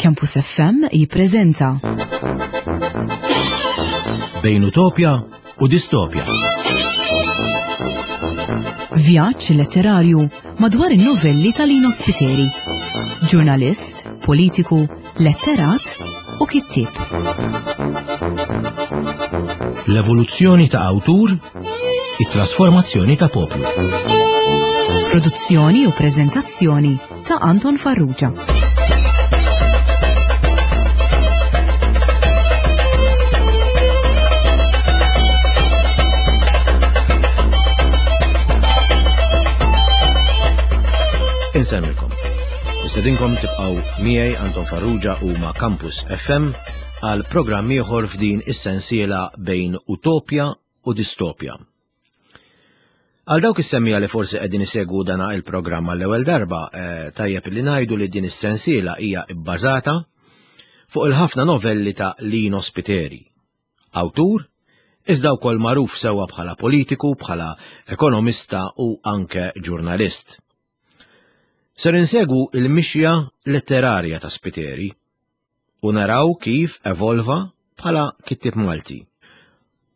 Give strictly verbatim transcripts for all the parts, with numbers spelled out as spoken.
Campus F M jippreżenta Bejn Utopja u Distopja. Vjaġġ letterarju madwar in-novelli ta' Lino Spiteri. Ġurnalist, politiku, letterat u kittieb. L-evoluzzjoni ta' awtur, it-trasformazzjoni ta' poplu. Produzzjoni u preżentazzjoni ta' Anton Farrugia. Insemmilkom. Nistedinkom tibqgħu miegħi, Anton Farrugia, u ma' Campus F M għal programm ieħor f'din is-sensiela Bejn Utopja u Distopja. Għal dawk is-semmiegħa li forsi qegħdin isegwu dana il-programm għall-ewwel darba, eh, tajjeb li ngħidu li din is-sensiela hija bbażata fuq il-ħafna novelli ta' Lino Spiteri. Awtur, iżda wkoll magħruf sewwa bħala politiku, bħala ekonomista u anke ġurnalist. Ser insegwu il-mixja letterarja ta' Spiteri u naraw kif evolva bħala kittib Malti.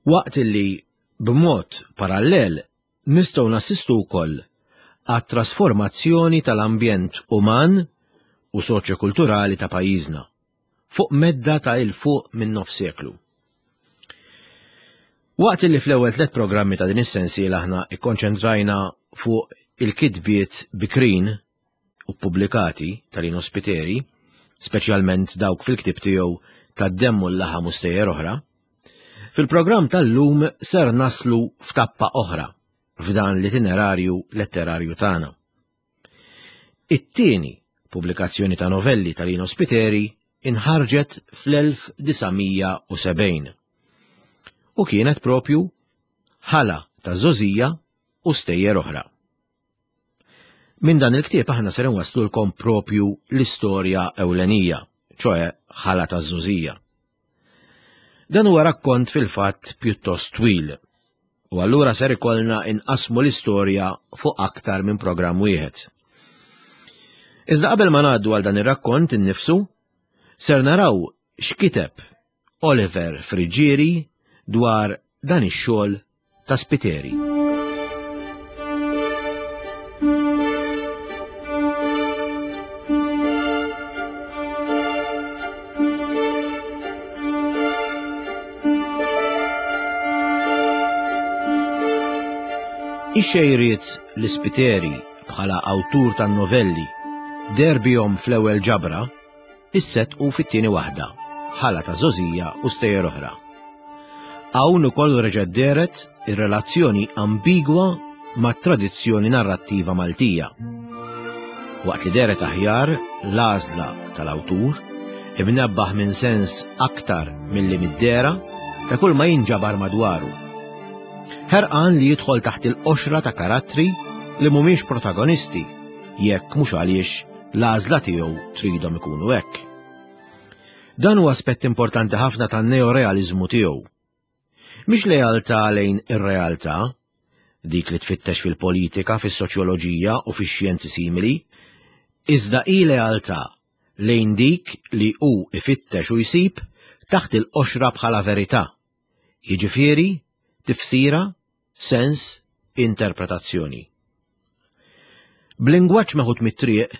Waqt li b'mod parallel nistgħu nassistu wkoll għat-trasformazzjoni tal-ambjent uman u soċjokulturali ta' pajjiżna fuq medda ta' 'il fuq minn nof seklu. Waqt li fl-ewwel tliet programmi ta' din is-sensiela aħna ikkonċentrajna fuq il-kitbiet bikrin u pubblikati ta' Lino Spiteri, speċjalment dawk fil-ktib tiegħu Tad-Demm u l-Laħam u Stejjer Oħra, fil-programm tal-lum ser naslu f'tappa oħra f'dan l-itinerarju letterarju tagħna. It-tieni pubblikazzjoni ta' novelli ta' Lino Spiteri inħarġet fl-elf disa' mija u sebgħin u kienet propju Ħala ta' Żgħożija u Stejjer Oħra. Minn dan il-ktieb aħna ser nwaslulkom propju l-istorja ewlenija, ċoè Ħala ta' Żgħożija. Dan huwa rakkont fil-fatt pjuttost twil, u allura ser ikollna inqasmu l-istorja fuq aktar minn programm wieħed. Iżda qabel ma ngħaddu għal dan ir-rakkont innifsu, ser naraw x'kiteb Oliver Friggieri dwar dan ix-xogħol ta' Spiteri. Ix-xejriet li Spiteri bħala awtur tan-novelli deher bihom fl-ewwel ġabra issettqu fit-tieni waħda, Ħala ta' Żgħożija u Stejjer Oħra. Hawn ukoll reġgħet dehret ir-relazzjoni ambigwa mat tradizzjoni narrattiva Maltija. Waqt li dehret aħjar l-għażla tal-awtur, imnebbaħ minn sens aktar milli mid-dehra ta' kull ma jinġabar madwaru. Ħerqan li jidħol taħt il-qoxra ta' karattri li mhumiex protagonisti, jekk mhux għaliex l-għażla tiegħu tridhom ikunu hekk. Dan huwa aspett importanti ħafna tan-neorealizmu tiegħu. Mhix lealtà lejn ir-realtà, dik li tfittex fil-politika, fis-soċjoloġija u fix-xjenzi simili, iżda hi lealtà lejn dik li hu ifittex u jsib taħt il-qoxra bħala verità. Jiġifieri tifsira, sens, interpretazzjoni. B'lingwaġġ meħud mit-triq,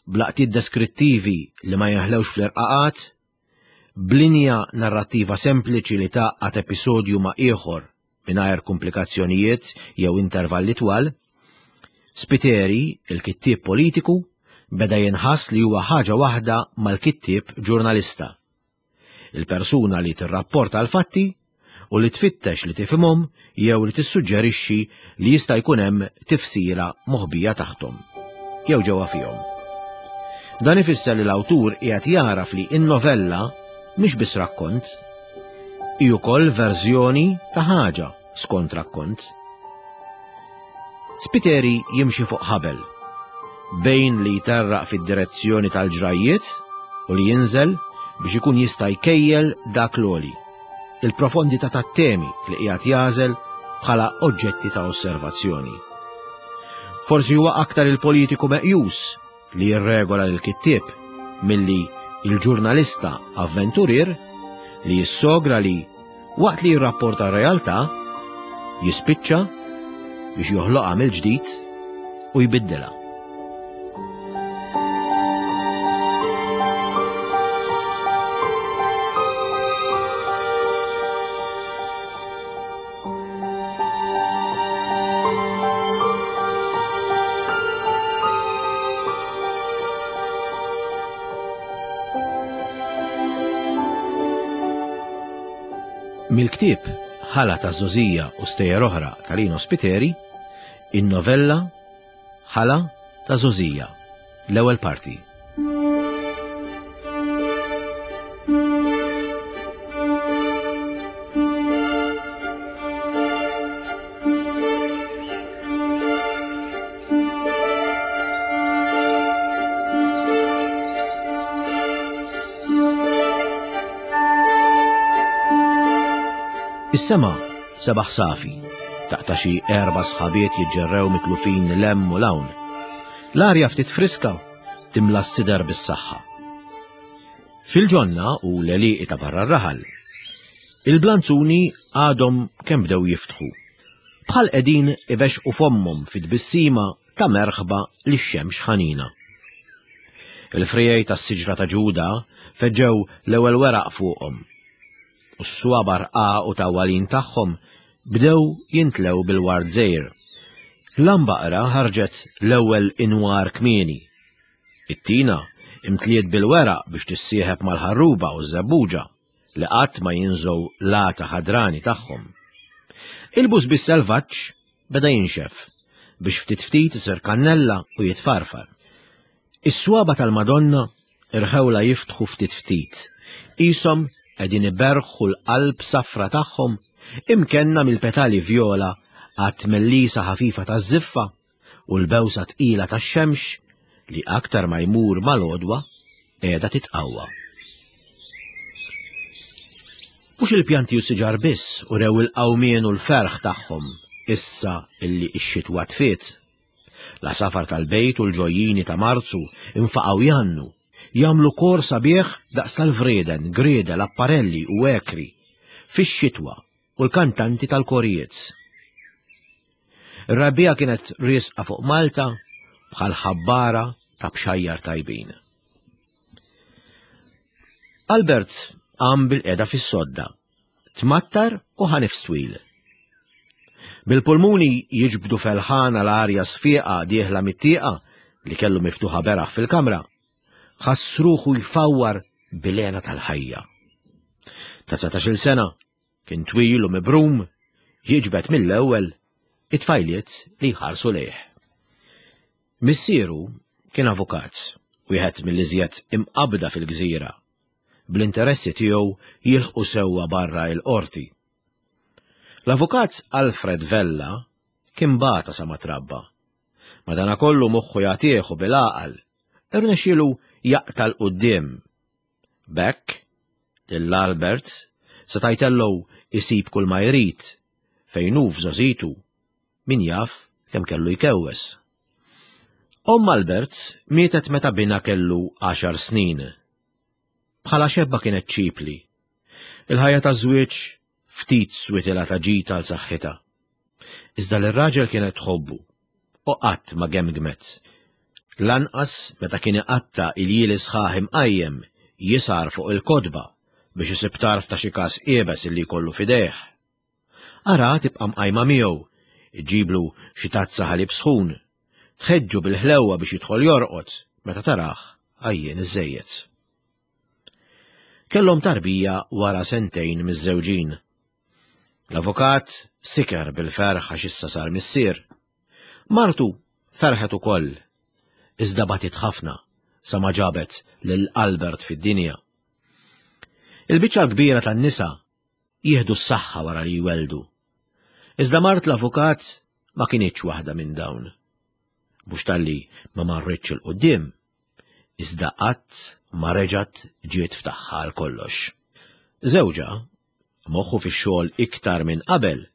b'laqtiet deskrittivi li ma jaħlewx fl-irqaqat, b'linja narrattiva sempliċi li tgħaqqad episodju ma' ieħor mingħajr komplikazzjonijiet jew intervalli twal, Spiteri, il-kittieb politiku, beda jinħass li huwa ħaġa waħda mal-kittieb ġurnalista. Il-persuna li tirrapporta l-fatti u li tfittex li tifhimhom jew li tissuġġerixxi li jista' jkun hemm tifsira moħbija taħthom jew ġewwa fihom. Dan ifisser li l-awtur qiegħed jaraf li in-novella mhix biss rakkont, hi wkoll verżjoni ta' ħaġa skont rakkont. Spiteri jimxi fuq ħabel bejn li jterraq fid-direzzjoni tal-ġrajiet u li jinżel biex ikun jista' jkejjel dak l-għoli, il-profondità tat-temi li qiegħed jagħżel bħala oġġetti ta' osservazzjoni. Forsi huwa aktar il-politiku meqjus li jirregola l-kittieb milli il-ġurnalista avventurier li jissogra li waqt li jirrapporta r-realtà jispiċċa biex joħloqha mill-ġdid u jbiddilha. Mill-ktieb Ħala ta' Żgħożija u Stejjer Oħra ta' Lino Spiteri, in-novella Ħala ta' Żgħożija, l-ewwel parti. Is-sema sebaħ safi, taqta' xi erba' sħabiet jiġġerrew mitlufin 'l hemm u 'l hawn. L-arja ftit friska timla s-sider bis-saħħa. Fil-ġonna u l-għelieqi ta' barra r-raħal, il-blanzuni għadhom kemm bdew jiftħu. Bħal qegħdin ibexqu fommhom fit-tbissima ta' merħba lix-xemx ħanina. Il-frijej tas-siġra ta' Ġuda feġġew l-ewwel weraq fuqhom. U s-swabar u tawwalin tagħhom bdew jintlew bil-ward żgħir. L-ambaqra ħarġet l-ewwel inwar kmieni. It-tina imtliet bil-weraq biex tissieħeb mal-ħarruba u ż-żebbuġa li qatt ma jinżgħu l-għata ħadrani tagħhom. Il-busbis selvaġġ beda jinxef biex ftit ftit isir kannella u jitfarfar. Is-swaba tal-Madonna irħewla jiftħu ftit ftit, qishom qegħdin iberħu l-qalb safra tagħhom imkenna mill-petali vjola għat-tmellisa ħafifa taż-żiffa u l-bewsa tqila tax-xemx li aktar ma jmur mal-għodwa qiegħda titqawwa. Mhux il-pjanti u siġar biss urew il-qawmien u l-ferħ tagħhom issa illi x-xitwa tfiet. L-għasafar tal-bejt u l-ġojjini ta' Marzu infaqgħu jgħannu, jagħmlu kor sabiħ daqs tal-vreden, griedel, apparelli u ekri fix-xitwa u l-kantanti tal-korijiet. Ir-rebbiegħa kienet riesqa fuq Malta bħal ħabbara ta' bxajjar tajbin. Albert qam bil-qeda fis-sodda, tmattar u ħa nifs twil. Bil-pulmuni jiġbdu felħana l-arja sfiqa dieħla mit-tieqa li kellu miftuħa beraħ fil-kamra, ħass ruħu jfawwar bil-hena tal-ħajja. Ta' dsatax-il sena kien twil u mibrum, jiġbed mill-ewwel it-tfajliet li jħarsu lejh. Missieru kien avukat, wieħed mill-iżjed imqabda fil-gżira, bl-interessi tiegħu jilħqu sewwa barra il-qorti. L-avukat Alfred Vella kien bata sa ma trabba. Madanakollu moħħu jagħtih u bil-għaqal, irnexxielu jaqta' 'l quddiem. B'hekk, lil Albert seta' jtellgħu isib kull ma jrid, fejn hu f'żgħożitu, min jaf kemm kellu jkewwes. Omm Albert mietet meta binha kellu għaxar snin. Bħala xebba kienet ċipli. Il-ħajja taż-żwieġ ftit switilha ta' ġid għal saħħitha. Iżda lir-raġel kienet tħobbu u qatt ma gemgmet. Lanqas meta kien iqatta' iljieli sħaħ imqajjem jisar fuq il-kotba biex isib tarf ta' xi każ iebes illi jkollu f'idejh. Ara tibqa' mqajma miegħu, iġiblu xi tazza ħalib sħun, tħeġġu bil-ħlewwa biex jidħol jorqod meta tarah għajjien iżżejjed. Kellhom tarbija wara sentejn miż-żewġin. L-avukat siker bil-ferħ għax issa sar missier. Martu ferħet ukoll, iżda batit ħafna sa ma ġabet lil Albert fid-dinja. Il-biċċa l-kbira tan-nisa jieħdu s-saħħa wara li jweldu. Iżda mart l-avukat ma kinitx waħda minn dawn. Mhux talli ma marritx 'il quddiem, iżda qatt ma reġgħet ġiet f'tagħha għal kollox. Żewġha, moħħu fix-xogħol iktar minn qabel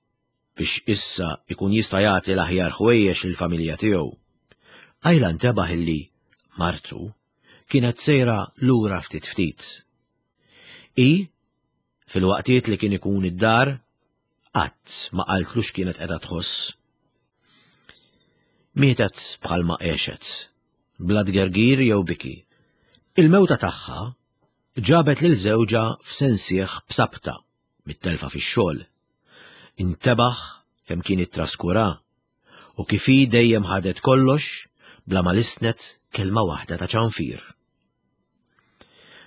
biex issa ikun jista' jagħti l-aħjar ħwejjeġ lill-familja tiegħu. Qajla ntebaħ illi martu kienet sejra lura ftit ftit. I, fil-waqtiet li kien ikun id-dar, qatt ma qaltlu x'kienet qiegħda tħoss. Mietet bħalma għexet, bla tgergir jew biki. Il-mewta tagħha ġabet lil żewġha f'sensieħ b'sabta mit-telfa fix-xogħol. Intebaħ kemm kien ittraskura u kif hi dejjem ħadet kollox bla ma lissnet kelma waħda ta' ċanfir.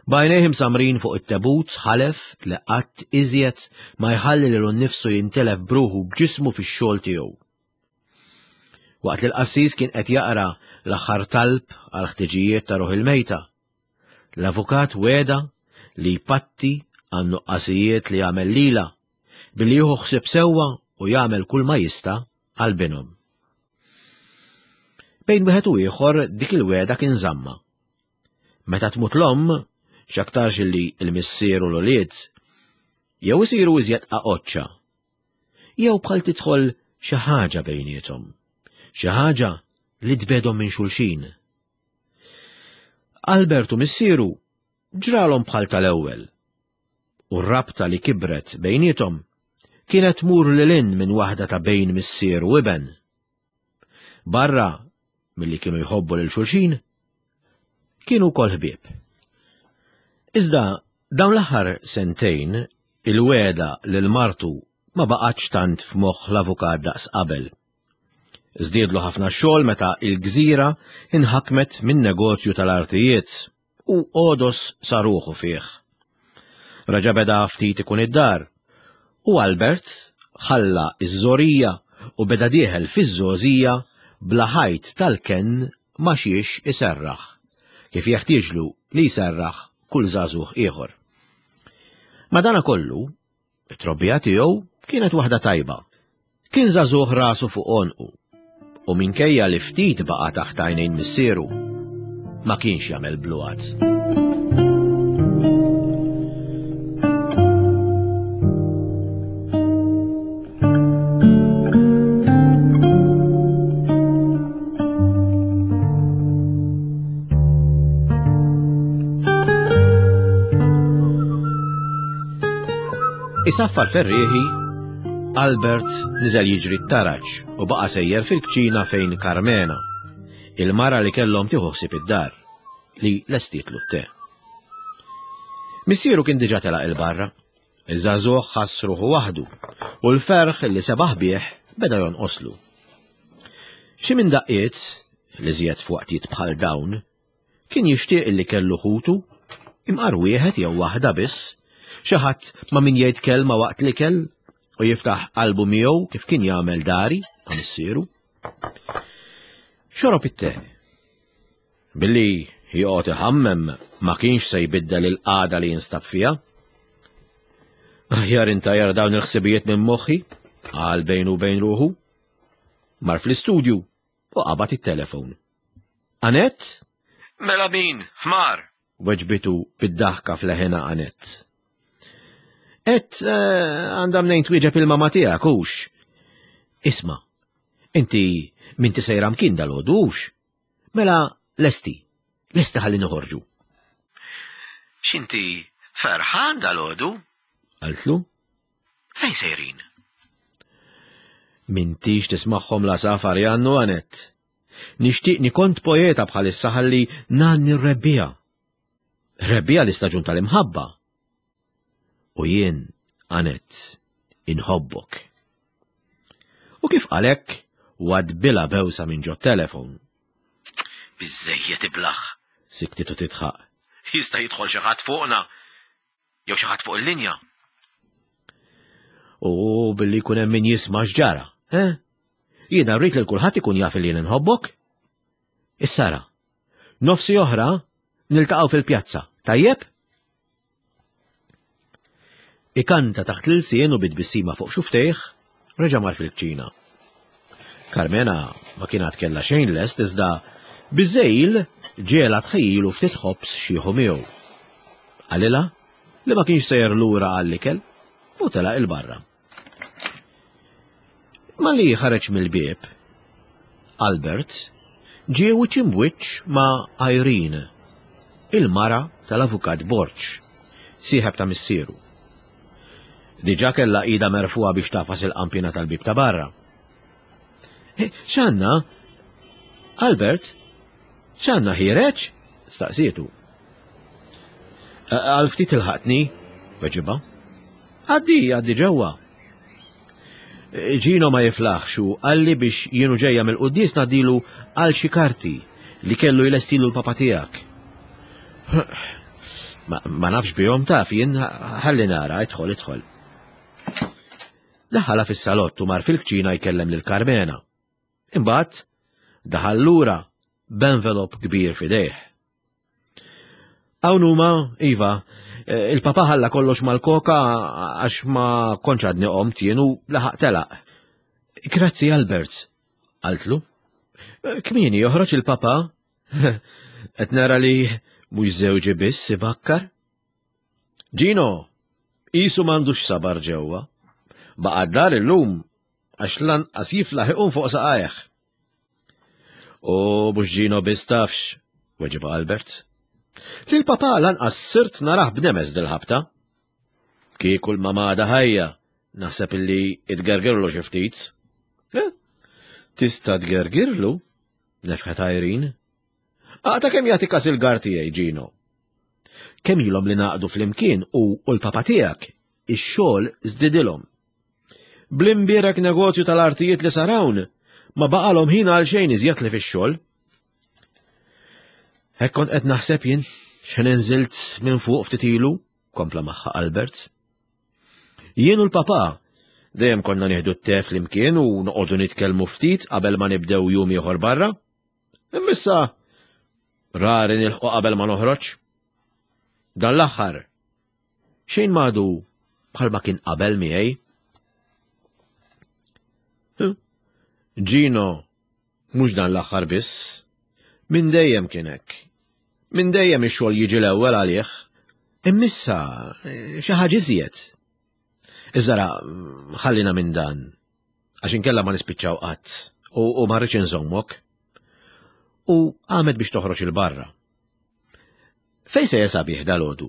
B'għajnejh imsammrin fuq it-tebut ħalef li qatt iżjed ma jħalli lilu nnifsu jintelef bruħu b'ġismu fix-xogħol tiegħu. Waqt li l-qassis kien qed jaqra l-aħħar talb għal ħtiġijiet ta' ruħ il-mejta, l-avukat weda li jpatti għan-nuqqasijiet li għamel lilha billi jieħu ħsieb sewwa u jagħmel kull ma jista' għal binhom. Bejn wieħed u ieħor dik il-weda kien żamma. Meta tmut l-omm, x'aktarx li l-missier u l-ulied jew isiru iżjed qaqoċċa, jew bħal tidħol xi ħaġa bejniethom, xi ħaġa li tbedhom minn xulxin. Albert u missieru ġralhom bħal tal-ewwel, u r-rabta li kibret bejniethom kienet tmur lil hinn minn waħda ta' bejn missier u iben. Barra milli kienu jħobbu lil xulxin, kienu wkoll ħbieb. Iżda dawn l-aħħar sentejn il-weda lil martu ma baqgħetx tant f'moħħ l-avukat daqs qabel. Żdiedlu ħafna xogħol meta il-gżira inħakmet minn negozju tal-artijiet u għodos sa ruħu fih. Reġa' beda ftit ikun id-dar u Albert ħalla iż-żorija u beda dieħel fiż-żgħożija bla ħajt tal-kenn ma xiex iserraħ, kif jeħtieġlu li jserraħ kull żagħżugħ ieħor. Madanakollu, it-trobbija tiegħu kienet waħda tajba. Kien żagħżugħ rasu fuq għonqu u minkejja li ftit baqa' taħt għajnejn missieru, ma kienx jagħmel bluat. Isaffar ferrieħi, Albert niżel jiġri t-taraġ u baqa' sejjer fil-kċina fejn Carmena, il-mara li kellhom tieħu ħsieb id-dar, li lestietlu t-te. Missieru kien diġà telaq il-barra, iż-żagħżugħ ħass ruħu waħdu u l-ferħ li sebaħ bih beda jonqoslu. Xi minn daqqiet, li żjed f'waqtiet bħal dawn, kien jixtieq li kellu ħutu, imqar wieħed jew waħda biss, xi ħadd ma' min jgħid kelma waqt l-ikel u jiftaħ qalbu miegħu kif kien jagħmel dari ma' missieru. Xorob it-te. Billi joqgħod iħammem ma kienx se jbiddel il-qagħda li jinstab fiha. Aħjar intajjar dawn il-ħsibijiet minn moħħi, qal bejnu u bejn ruħu. Mar fl-istudju u qabad it-telefon. Anett? Mela min, ħmar? Weġbitu bid-daħka fl-ħena Anett. Et għandha mnejn twieġeb il-mama tiegħek hux. Isma', inti minti sejra mkien dalgħodu hux? Mela lesti, lesti ħalli noħorġu. X'inti ferħan dalgħodu? Qaltlu. Fejn sejrin? Mintix tismagħhom la safar jannu Anett. Nixtieqni kont poeta bħalissa ħalli ngħanni r-rebbija. Rebbija l-istaġun tal-imħabba. U jien, Anett, inħobbok. U kif qalek, wadbilha bewsa minn ġo telefon. Biżejjed iblaħ, siktitu titħaq. Jista' jidħol xi ħadd fuqna, jew xi ħadd fuq il-linja. U billi jkun hemm min jisma' x'ġara, eh? Jiena rrid lil kulħadd ikun jaf li jien inħobbok. Issara, nofsi oħra niltaqgħu fil-pjazza, tajjeb? Ikanta taħt l-ilsien u bit-tbissima fuq xuftejh, reġa' mar fil-kċina. Carmena ma kienet kellha xejn lest iżda biżejl ġiela tħejjilu ftit ħobż xieħu miegħu. Qalilha li ma kienx sejjer lura għall-ikel u telaq il-barra. Malli ħareġ mill-bieb, Albert ġie wiċċ imbwiċċ ma' Irene, Il-mara tal-Avukat Borg, sieħeb ta' missieru. Diġà kellha idha merfugħa biex tagħfas il-qampina tal-bieb ta' barra. "X'għandna? Albert? X'għandna ħiereġ?" staqsietu. "Għal ftit ilħaqtni," weġibha. "Għaddi, għaddi ġewwa. Ġino ma jiflaħx u qalli biex jien u ġejja mill-quddies ngħaddilu għal xi karti li kellu jlestilu l-papa tiegħek. Ma, ma nafx bihom taf jien, ħalli nara, idħol, idħol." Daħala fis-salott u mar fil-kċina jkellem lil Karmena. Imbagħad daħal lura b'envelop kbir f'idejh. "Hawn huma, iva, il-papa ħalla kollox mal-koka għax ma kontx għadni qomt jien u laħaq telaq." "Grazzi, Albert," qaltlu. "Kmieni joħroġ il-papa? Qed nara li mhux żewġi biss ibakkar. Ġino, qisu m'għandux sabar ġewwa. Baqa' d-dar illum għax lanqas jiflaħ iqum fuq saqajh." "U mhux Ġino biss tafx," weġibha Albert. "Lil papa lanqas sirt narah b'nemes dil-ħabta. Kieku l-mama għadha ħajja, naħseb illi tgergirlu xi ftit." "Eh, tista' tgergirlu?" nefħet Irene. "Aqta' kemm jagħti kas il-gar tiegħi Ġino. Kemm ilhom li ngħaqdu flimkien u l-papa tiegħek, ix-xogħol żdidilhom. Bl-imbierek negozju tal-artijiet li sar hawn, ma baqalhom ħin għal xejn iżjed li fix-xogħol. Hekk kont qed naħseb jien, x'ħin inżilt minn fuq ftit ilu," kompla magħha Albert. "Jien u l-papa dejjem konna nieħdu t-te flimkien u noqogħdu nitkellmu ftit qabel ma nibdew jum ieħor barra. Imma issa rari nilħqu qabel ma noħroġ. Dan l-aħħar xejn m'għadu bħalma kien qabel miegħi." "Ġino, mhux dan l-aħħar biss, minn dejjem kien hekk. Minn dejjem ix-xogħol jiġi l-ewwel għalih. Imma issa xi ħaġa iżjed. Iżda ħallina minn dan, għax inkella ma nispiċċaw qatt u, u ma rridx inżommok." U qamet biex toħroġ 'il barra. "Fejn sejjer sabiħ dalgħodu?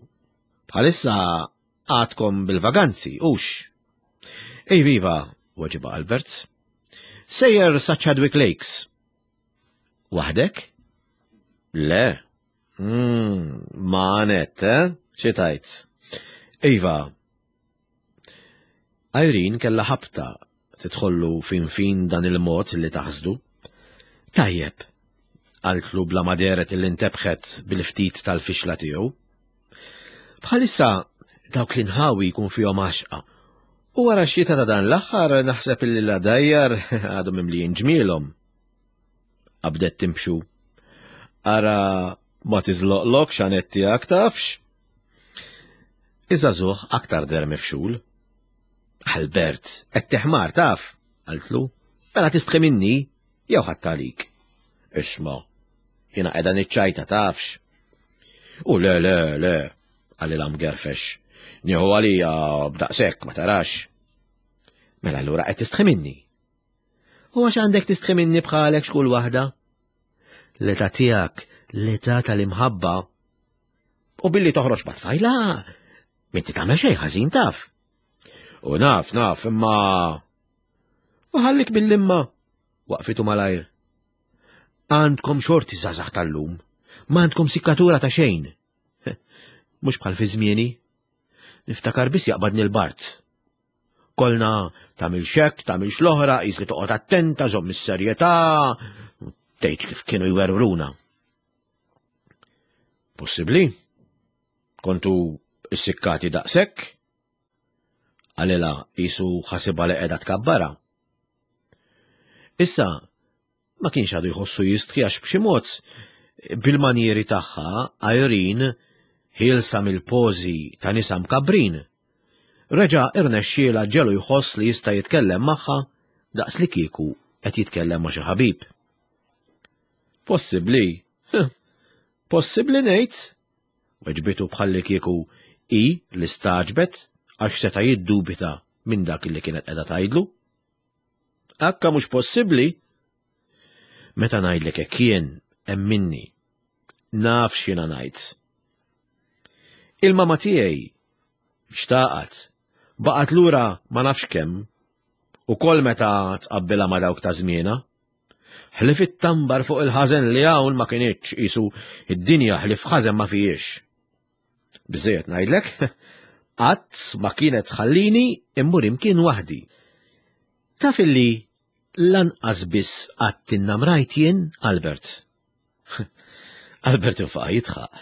Bħalissa għadkom bil-vaganzi, hux?" "Ej viva," weġibha Albert. "Sejjer sa Chadwick Lakes." "Waħdek?" "Le." Mm, ma net, eh? Xi tgħid?" "Iva." Irene kella ħabta tidħollu fin fin dan il-mod li taħsdu. "Tajjeb," qaltlu bla ma dehret illi ntebħet bil-ftit tal-fixla tiegħu. "Bħalissa dawk l-inħawi jkun fihom għaxqa. U wara x-xita ta' dan l-aħħar naħseb illi l-għadajjar għadhom mimlijin ġmielhom." Qabdet timxu. "Ara ma tiżloqlokx Annette tiegħek tafx." Iż-żagħżugħ aktar deher mifxul. "Albert, qed teħmar taf," qaltlu. "Mela tistħi minni, jew ħadd għalik." "Isma', jiena qiegħda niċċajta tafx." "U le, le, le," qalilha mgerfex. "Nieħu għalija b'daqshekk ma tarax." "Mela allura qed tistħi minni." "U għax għandek tistħi minni bħalek x'kull waħda? L-età tiegħek, l-età tal-imħabba. U billi toħroġ ma' tfajla, m'inti tagħmel xejn ħażin taf." "U naf, naf, imma..." "U ħallik mill-imma," waqfitu malajr. "Għandkom xorti żgħażagħ tal-lum, ma għandkom sikkatura ta' xejn. Mhux bħal fi żmieni. Niftakar biss jaqbadni l-bard. Kolna tagħmilx hekk, tagħmilx l-oħra, qis li toqgħod attenta, żomm is-serjetà, tgħidx kif kienu jwerwruna." "Possibbli? Kontu issikkati daqshekk?" qalilha qisu ħasibha li qiegħda tkabbara. Issa ma kienx għadu jħossu jistħi għax b'xi mod bil-manjieri tagħha Irene ħielsa mill-pożi ta' nisa mkabbrin. Reġa' irnexxielha ġelu jħoss li jista' jitkellem magħha daqs li kieku qed jitkellem ma' xi ħabib. "Possibbli, possibbli ngħid," weġbitu bħalli kieku hi li staġbet għax seta' jiddubita minn dak li kienet qiegħda tgħidlu. "Akka mhux possibbli. Meta ngħidlek hekk jien emminni. Naf x'jiena ngħid." Il-mama tiegħi xtaqat, baqgħet lura ma nafx kemm, ukoll meta tqabbilha ma' dawk ta' żmienha. Ħlief it-tambar fuq il-ħażen li hawn ma kinitx qisu id-dinja ħlief ħażen ma fihiex. Biżejjed ngħidlek, qatt ma kienet tħallini immur imkien waħdi. Taf illi lanqas biss qatt innamrajt jien, Albert. Albert infaqa' jidħaq.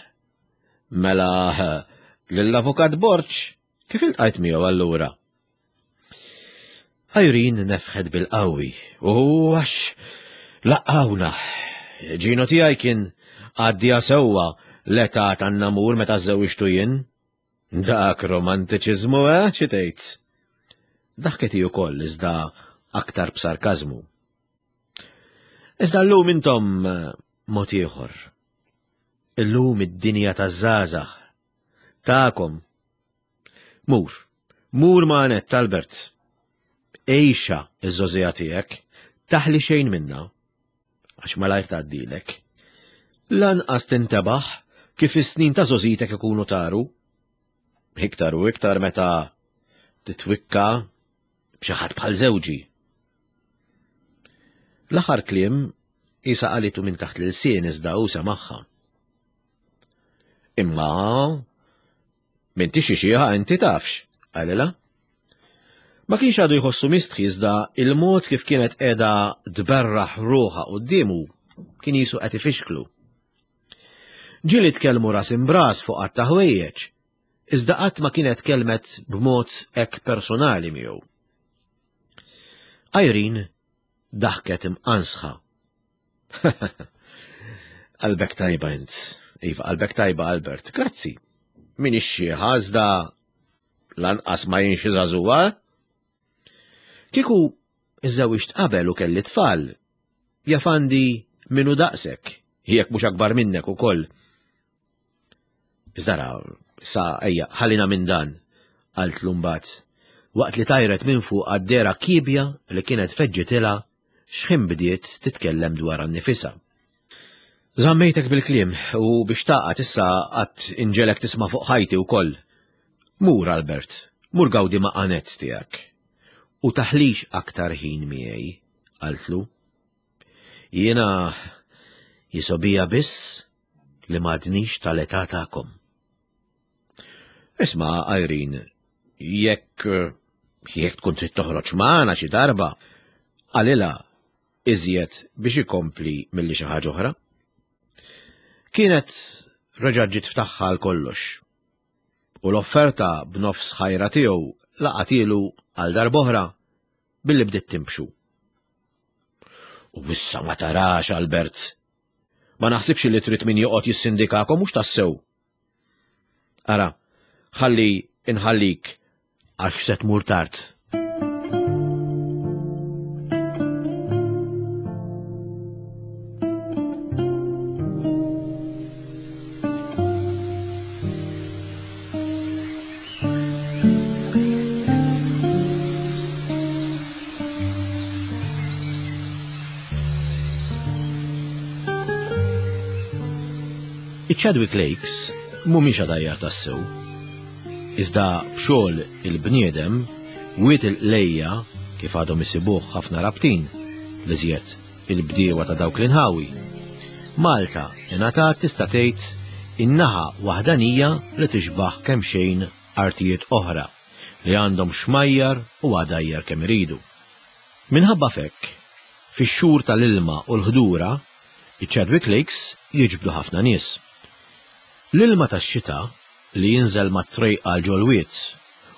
Mela lill-avukat Borg kif iltqajt miegħu allura? Irene nefħet bil-qawwi u għax laqgħuna. Ġino tiegħi kien għaddija sewwa l-età tan-namur meta żżewġtu jien. Dak romantiċiżmu, eh, xi tgħid? Daħket hi wkoll iżda aktar b'sarkażmu. Iżda llum intom mod ieħor. Illum id-dinja taż-żgħażagħ. Tagħkom. Mur, mur ma' Annette, Albert. Għixha iż-żgħożija tiegħek, taħli xejn minna, għax malajr tgħaddilek. Lanqas tintebaħ kif is-snin ta' żgħożitek ikunu taru. Iktar u iktar meta titwikka b'xi ħadd bħal żewġi. L-aħħar kliem isa qalitu minn taħt l-ilsien iżda hu semagħha. Imma m'intix xi xieħa inti tafx, qalilha. Ma kienx għadu jħossu mistħi iżda il-mod kif kienet qiegħda tberraħ ruħha quddiemu kien jisu qed ifixklu. Ġieli tkellmu ras imbras fuq qatt ta' ħwejjeġ, iżda qatt ma kienet kelmet b'mod hekk personali miegħu. Irene daħket imqansħa. Qalbek tajba int. Iva, qalbek tajba, Albert. Grazzi. Min ix-xieħa iżda lanqas ma jien xi żagħżugħa. Kieku iżżewwiġt qabel u kelli tfal, jaf għandi minu daqsek, jekk mhux akbar minnek ukoll. Iżda ra, sa ejja, ħallina minn dan, qaltlu mbagħad, waqt li tajret minn fuq għad-dera kiebja li kienet feġġitilha x'ħin bdiet titkellem dwar annifisha. Żammejtek bil-kliem u biex taqgħad issa qatt inġelek tisma' fuq ħajti wkoll. Mur, Albert, mur gawdi ma' Annette tiegħek. U taħlix aktar ħin miegħi, qaltlu. Jiena jisobija biss li m'għadnix tal-età tagħkom. Isma', Irene, jekk jekk tkun trid toħroġ magħna xi darba, qalilha iżjed biex ikompli milli xi ħaġa oħra. Kienet reġgħet ġiet ftaħħa għal kollox. U l-offerta b'nofs ħajra tiegħu laqatilu għal darb'oħra billi bdiet timbxu. U issa ma tarax, Albert. Ma naħsibx li trid min joqgħod jissindikakom mhux tassew. Ara, ħalli inħallik għax se tmur tard. Iċ-Chadwick Lakes mhumiex għadajjar tassew. Iżda b'xogħol il-bniedem, wied il-qlejja kif għadhom isibuh ħafna rabtin, l-iżjed il-bdiewa ta' dawk l-inħawi. Malta ingħatat tista' tgħid in-naħa waħdanija li tixbaħ kemm xejn artijiet oħra li għandhom xmajjar u għadajjar kemm iridu. Minħabba fekk, fix-xhur tal-ilma u l-ħdura, iċ-Chadwick Lakes jiġbdu ħafna nies. L-ilma tax-xita li jinżel mat-trejqa għal ġol-wied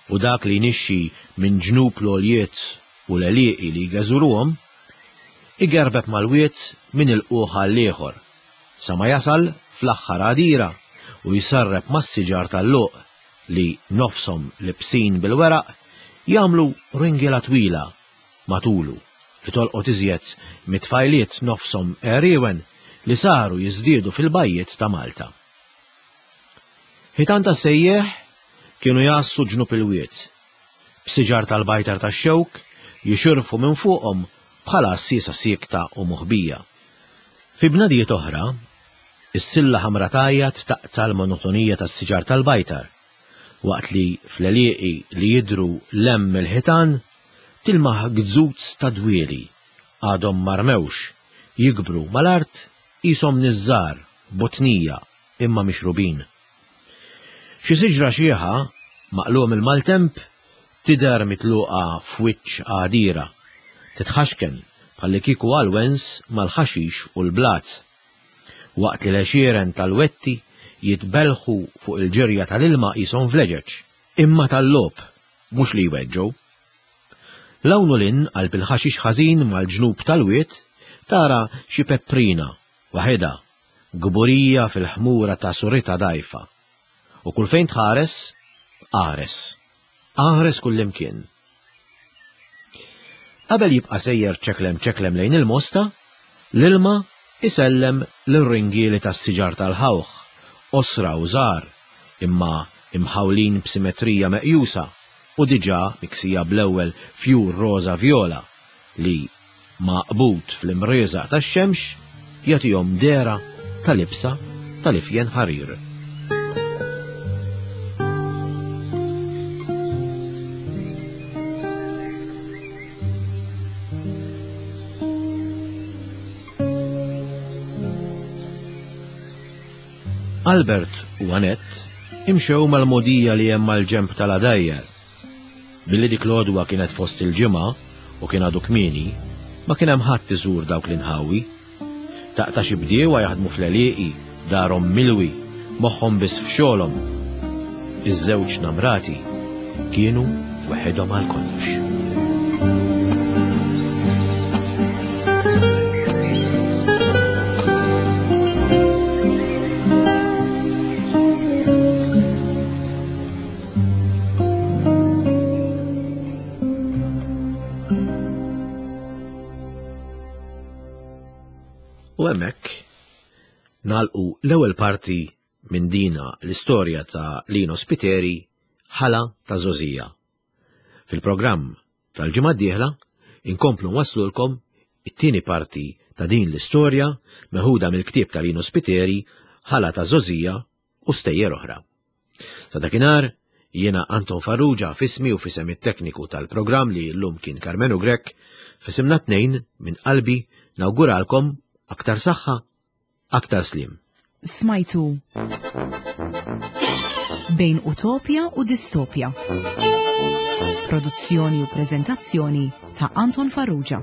u dak li jnixxi minn ġnub l-għoljiet u l-għelieqi li jgeżuruhom, igerbeb mal-wied minn il-quħ għall-ieħor, sa ma jasal fl-aħħar għadira u jsarreb mas-siġar tal-luq li nofshom libsin bil-weraq jagħmlu ringiela twila matulu li tolqot iżjed mit-tfajliet nofshom għeriewen li saru jiżdiedu fil-bajjiet ta' Malta. Ħitan ta' sejjeħ kienu jassu ġnub il-wied, b'siġar tal-bajtar tax-xewk jixirfu minn fuqhom bħala għassiesa siekta u moħbija. Fi bnadijiet oħra, is-silla ħamra tgħajjat taqta' l-monotonija tas-siġar tal-bajtar Waqt li fl-għelieqi li jidhru 'l hemm mill-ħitan tilmaħ gzuz ta' dwieli għadhom ma rmewx, jikbru mal-art qishom niżżar, botnija, imma mixrubin. Xi siġra xieħa, maqlugħa mill-maltemp, tidher mitluqa f'wiċċ għadira, titħaxken bħallikieku għall-wens mal-ħaxix u l-blat. Waqt li l-għexieren tal-wetti jitbellħu fuq il-ġirja tal-ilma qishom vleġeġ, imma tal-logħob, mhux li jweġġgħu. 'L hawn u 'l hinn qalb il-ħaxix ħażin mal-ġnub tal-wied tara xi pepprina waħedha, kburija fil-ħmura ta' suritha dgħajfa. U kull fejn tħares, qares. Qares kullimkien. Qabel jibqa' sejjer ċeklem ċeklem lejn il-Mosta, l-ilma isellem lir-ringieli tas-siġar tal-ħawħ, qosra u żgħar, imma imħawlin b'simetrija meqjusa u diġà miksija bl-ewwel fjur roża vjola li, maqbud fl-imrieżaq tax-xemx, jagħtihom dehra ta' libsa tal-ifjen ħarir. Albert u Annette imxew mal-mogħdija li hemm mal-ġenb tal-għadajjar. Billi dik l-għodwa kienet fost il-ġimgħa u kien għadu kmieni, ma kien hemm ħadd iżur dawk l-inħawi. Taqta' xi bdiewa jaħdmu fl-għelieqi, darhom milwi, moħħhom biss f'xogħolhom. Iż-żewġ namrati kienu weħidhom għal kollox. U hemmhekk nagħlqu l-ewwel parti minn dina l-istorja ta' Lino Spiteri, Ħala ta' Żgħożija. Fil-programm tal-ġimgħa d-dieħla inkomplu nwasslulkom it-tieni parti ta' din l-istorja meħuda mill-ktieb ta' Lino Spiteri, Ħala ta' Żgħożija u stejjer oħra. Sa dakinhar, jiena Anton Farrugia f'ismi u f'isem it-tekniku tal-programm li llum kien Karmenu Grech, f'isimna tnejn minn qalbi nawguralkom aktar saħħa, aktar sliem. Smajtu Bejn Utopja u Distopja. Produzzjoni u preżentazzjoni ta' Anton Farrugia.